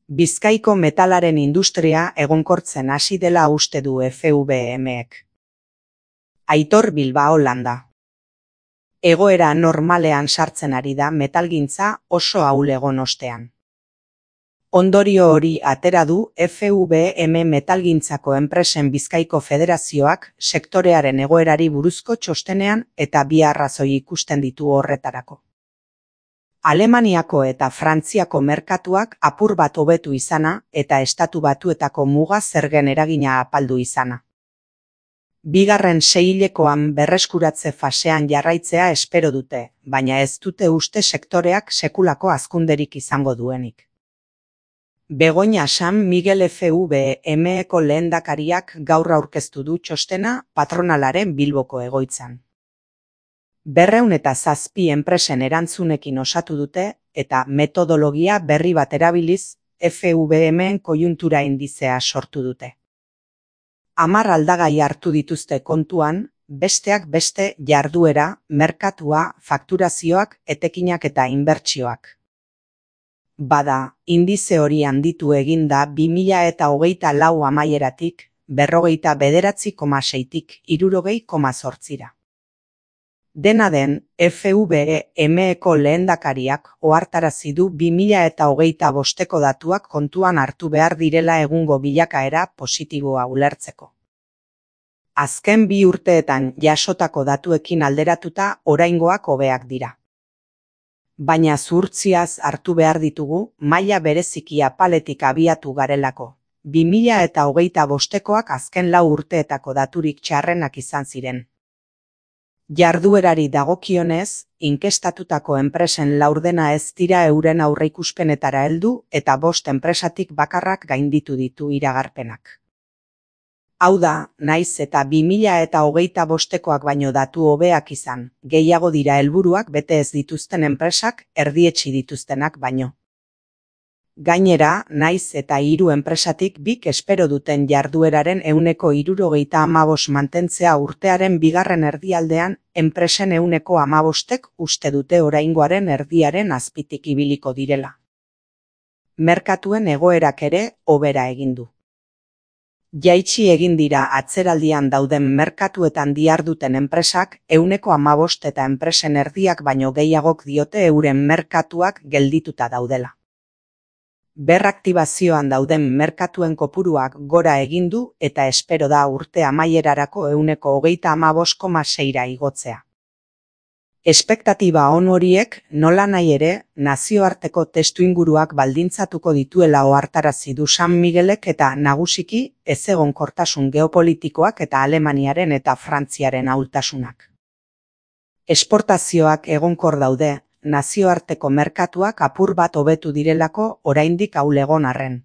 Bizkaiko metalaren industria egonkortzen hasi dela uste du FVM-ek. Aitor Bilbao Landa. Egoera normalean sartzen ari da metalgintza oso ahul egon ostean. Ondorio hori atera du FVM metalgintzako enpresen Bizkaiko Federazioak sektorearen egoerari buruzko txostenean eta bi arrazoi ikusten ditu horretarako. Alemaniako eta Frantziako merkatuak apur bat hobetu izana eta Estatu Batuetako muga zergen eragina apaldu izana. Bigarren seihilekoan berreskuratze fasean jarraitzea espero dute, baina ez dute uste sektoreak sekulako hazkunderik izango duenik. Begoña San Miguel FVM-eko lehendakariak gaur aurkeztu du txostena patronalaren Bilboko egoitzan. 207 enpresen erantzunekin osatu dute eta metodologia berri bat erabiliz FVM-en koiuntura indizea sortu dute. 10 aldagai hartu dituzte kontuan, besteak beste jarduera, merkatua, fakturazioak, etekinak eta inbertsioak. Bada, indize hori handitu eginda 2024 amaieratik 49,6tik 60,8ra. Dena den, FVM-eko lehendakariak ohartarazi du 2025ko datuak kontuan hartu behar direla egungo bilakaera positiboa ulertzeko. Azken 2 urteetan jasotako datuekin alderatuta oraingoak hobeak dira. Baina zuhurtziaz hartu behar ditugu maila bereziki apaletik abiatu garelako. 2025koak azken 4 urteetako daturik txarrenak izan ziren. Jarduerari dagokionez, inkestatutako enpresen laurdena ez dira euren aurreikuspenetara heldu eta 5 enpresatik bakarrak gainditu ditu iragarpenak. Hau da, naiz eta 2025koak baino datu hobeak izan, gehiago dira helburuak bete ez dituzten enpresak erdietsi dituztenak baino. Gainera, naiz eta 3 enpresatik 2 espero duten jardueraren 75% mantentzea urtearen bigarren erdialdean, enpresen 15%ek uste dute oraingoaren erdiaren azpitik ibiliko direla. Merkatuen egoerak ere hobera egin du. Jaitsi egin dira atzeraldian dauden merkatuetan diharduten enpresak 15% eta enpresen erdiak baino gehiagok diote euren merkatuak geldituta daudela. Berraktibazioan dauden merkatuen kopuruak gora egin du eta espero da urte amaierarako 35,6ra igotzea. Espektatiba on horiek nolanahi ere nazioarteko testuinguruak baldintzatuko dituela ohartarazi du San Miguelek eta nagusiki ezegonkortasun geopolitikoak eta Alemaniaren eta Frantziaren ahultasunak. Esportazioak egonkor daude, nazioarteko merkatuak apur bat hobetu direlako oraindik ahul egon arren.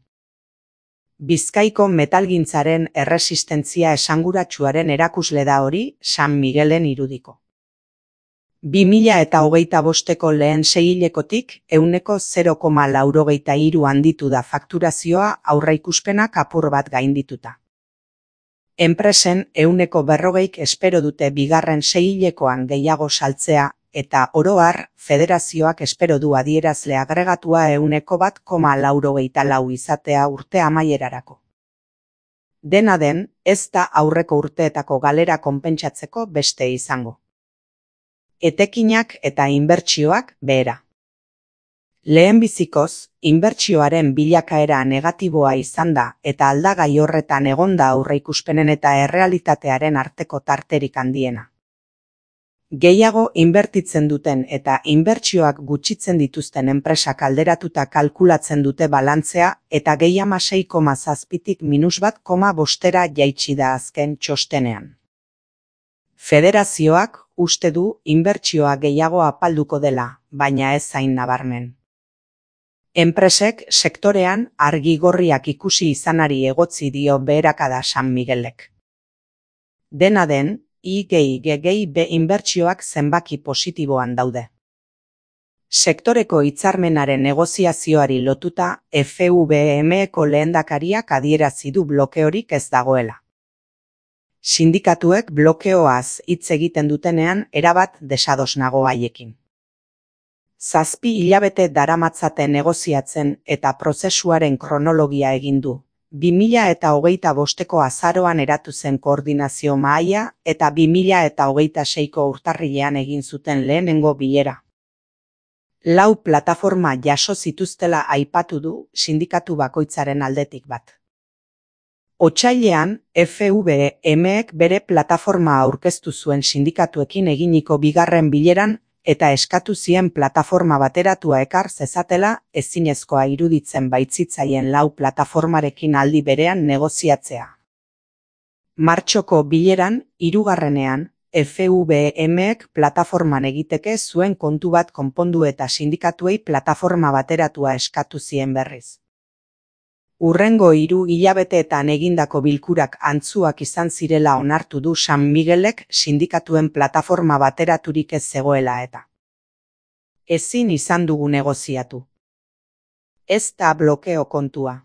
Bizkaiko metalgintzaren erresistentzia esanguratsuaren erakusle da hori San Miguelen irudiko. 2025ko lehen seihilekotik 0,83 handitu da fakturazioa aurreikuspenak apur bat gaindituta. Enpresen 40%ik espero dute bigarren seihilekoan gehiago saltzea eta oro har federazioak espero du adierazle agregatua 1,84 izatea urte amaierarako. Dena den, ez da aurreko urteetako galera konpentsatzeko beste izango. Etekinak eta inbertsioak behera. Lehenbizikoz, inbertsioaren bilakaera negatiboa izan da eta aldagai horretan egonda aurreikuspenen eta errealitatearen arteko tarterik handiena. Gehiago inbertitzen duten eta inbertsioak gutxitzen dituzten enpresak alderatuta kalkulatzen dute balantzea eta gehiama 6,7tik -1,5ra jaitsi da azken txostenean. Federazioak uste du inbertsioa gehiago apalduko dela, baina ez zain nabarmen. Enpresek sektorean argi gorriak ikusi izanari egotzi dio beherakada San Miguelek. Dena den, IGIGB inbertsioak zenbaki positiboan daude. Sektoreko hitzarmenaren negoziazioari lotuta FVM-eko lehendakariak adierazi du blokeorik ez dagoela. Sindikatuek blokeoaz hitz egiten dutenean erabat desados nago haiekin. 7 hilabete daramatzate negoziatzen eta prozesuaren kronologia egin du. 2025ko azaroan eratu zen koordinazio mahaia eta 2026ko urtarrilean egin zuten lehenengo bilera. 4 plataforma jaso zituztela aipatu du sindikatu bakoitzaren aldetik bat. Otsailean, FVMek bere plataforma aurkeztu zuen sindikatuekin eginiko bigarren bileran eta eskatu zien plataforma bateratua ekar zezatela ezinezkoa iruditzen baitzitzaien 4 plataformarekin aldi berean negoziatzea. Martxoko bileran, 3. FVMek plataforman egiteke zuen kontu bat konpondu eta sindikatuei plataforma bateratua eskatu zien berriz. Hurrengo 3 hilabeteetan egindako bilkurak antzuak izan zirela onartu du San Miguelek sindikatuen plataforma bateraturik ez zegoela eta. Ezin izan dugu negoziatu. Ez da blokeo kontua.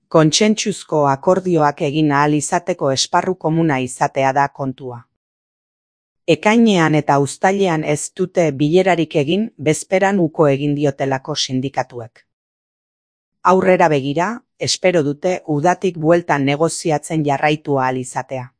Kontsentsuzko akordioak egin ahal izateko esparru komuna izatea da kontua. Ekainean eta uztailean ez dute bilerarik egin bezperan uko egin diotelako sindikatuek. Aurrera begira, espero dute udatik bueltan negoziatzen jarraitu ahal izatea.